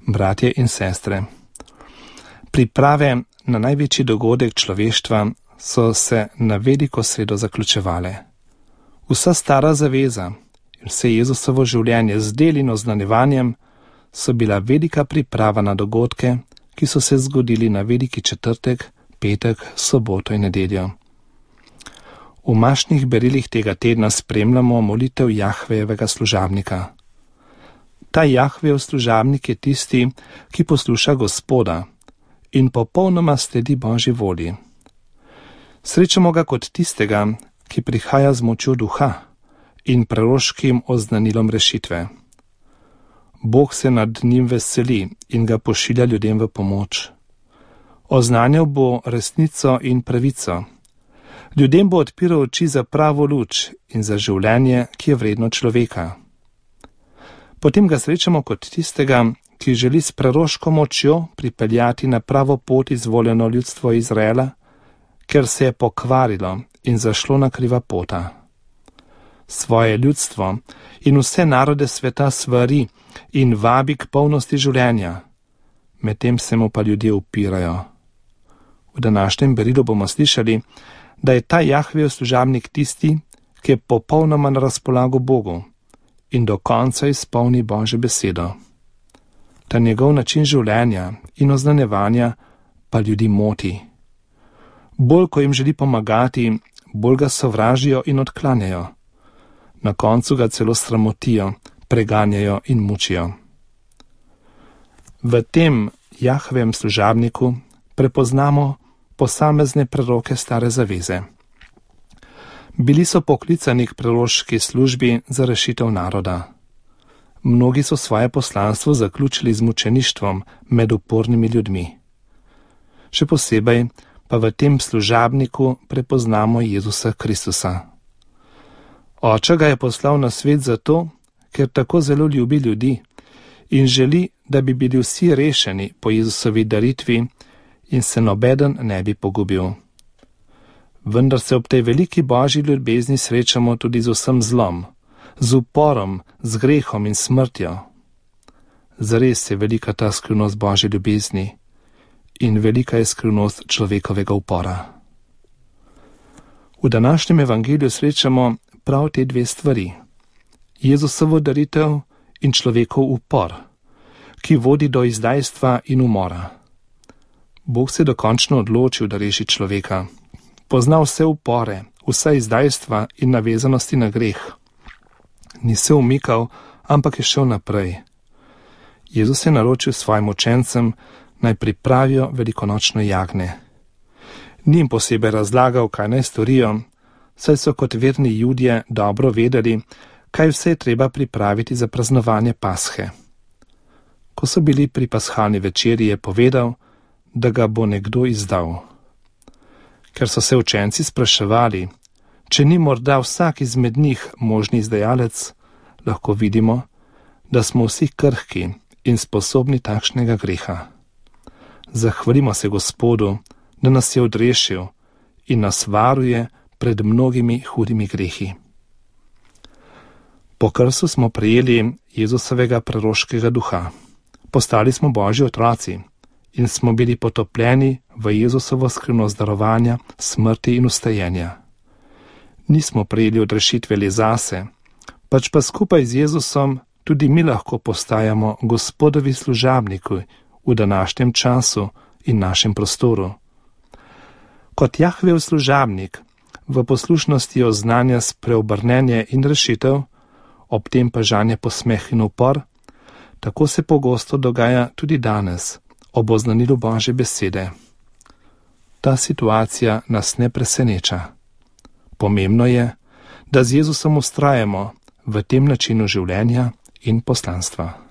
Bratje in sestre, priprave na največji dogodek človeštva so se na veliko sredo zaključevale. Vsa stara zaveza in vse Jezusovo življenje z del in oznanjevanjem so bila velika priprava na dogodke, ki so se zgodili na veliki četrtek, petek, soboto in nedeljo. V mašnih berilih tega tedna spremljamo molitev Jahvejevega služabnika. Ta Jahvejev služabnik je tisti, ki posluša Gospoda in popolnoma sledi Božji volji. Srečamo ga kot tistega, ki prihaja z močjo duha in proroškim oznanilom rešitve. Bog se nad njim veseli in ga pošilja ljudem v pomoč. Oznanjal bo resnico in pravico. Ljudem bo odpiral oči za pravo luč in za življenje, ki je vredno človeka. Potem ga srečamo kot tistega, ki želi s proroško močjo pripeljati na pravo pot izvoljeno ljudstvo Izraela, ker se je pokvarilo in zašlo na kriva pota. Svoje ljudstvo in vse narode sveta svari in vabi k polnosti življenja, medtem se mu pa ljudje upirajo. V današnjem berilu bomo slišali, da je ta Jahvejev služabnik tisti, ki je popolnoma na razpolago Bogu in do konca izpolni Božjo besedo. Ta njegov način življenja in oznanjevanja pa ljudi moti. Bolj, ko jim želi pomagati, bolj ga sovražijo in odklanjajo. Na koncu ga celo sramotijo, preganjajo in mučijo. V tem Jahvejevem služabniku prepoznamo posamezne preroke stare zaveze. Bili so poklicani k proroški službi za rešitev naroda. Mnogi so svoje poslanstvo zaključili z mučeništvom med upornimi ljudmi. Še posebej pa v tem služabniku prepoznamo Jezusa Kristusa. Oče ga je poslal na svet zato, ker tako zelo ljubi ljudi in želi, da bi bili vsi rešeni po Jezusovi daritvi in se nobeden ne bi pogubil. Vendar se ob tej veliki Božji ljubezni srečamo tudi z vsem zlom, z uporom, z grehom in smrtjo. Zares je velika ta skrivnost Božje ljubezni in velika je skrivnost človekovega upora. V današnjem evangeliju srečamo prav te dve stvari. Jezusovo daritev in človekov upor, ki vodi do izdajstva in umora. Bog se dokončno odločil, da reši človeka. Pozna vse upore, vsa izdajstva in navezanosti na greh. Ni se umikal, ampak je šel naprej. Jezus je naročil svojim učencem, naj pripravijo velikonočno jagnje. Ni jim posebej razlagal, kaj naj storijo, saj so kot verni Judje dobro vedeli, kaj vse je treba pripraviti za praznovanje Pashe. Ko so bili pri pashalni večerji, je povedal, da ga bo nekdo izdal. Ker so se učenci spraševali, če ni morda vsak izmed njih možni izdajalec, lahko vidimo, da smo vsi krhki in sposobni takšnega greha. Zahvalimo se Gospodu, da nas je odrešil in nas varuje pred mnogimi hudimi grehi. Po krstu smo prejeli Jezusovega proroškega duha. Postali smo Božji otroci in smo bili potopljeni v Jezusovo skrivnost darovanja, smrti in vstajenja. Nismo prejeli odrešitve le zase, pač pa skupaj z Jezusom tudi mi lahko postajamo Gospodovi služabniki v današnjem času in našem prostoru. Kot Jahvejev služabnik v poslušnosti oznanja spreobrnenje in rešitev, ob tem pa žanje posmeh in upor, tako se pogosto dogaja tudi danes, ob oznanilu Božje besede. Ta situacija nas ne preseneča. Pomembno je, da z Jezusom vztrajamo v tem načinu življenja in poslanstva.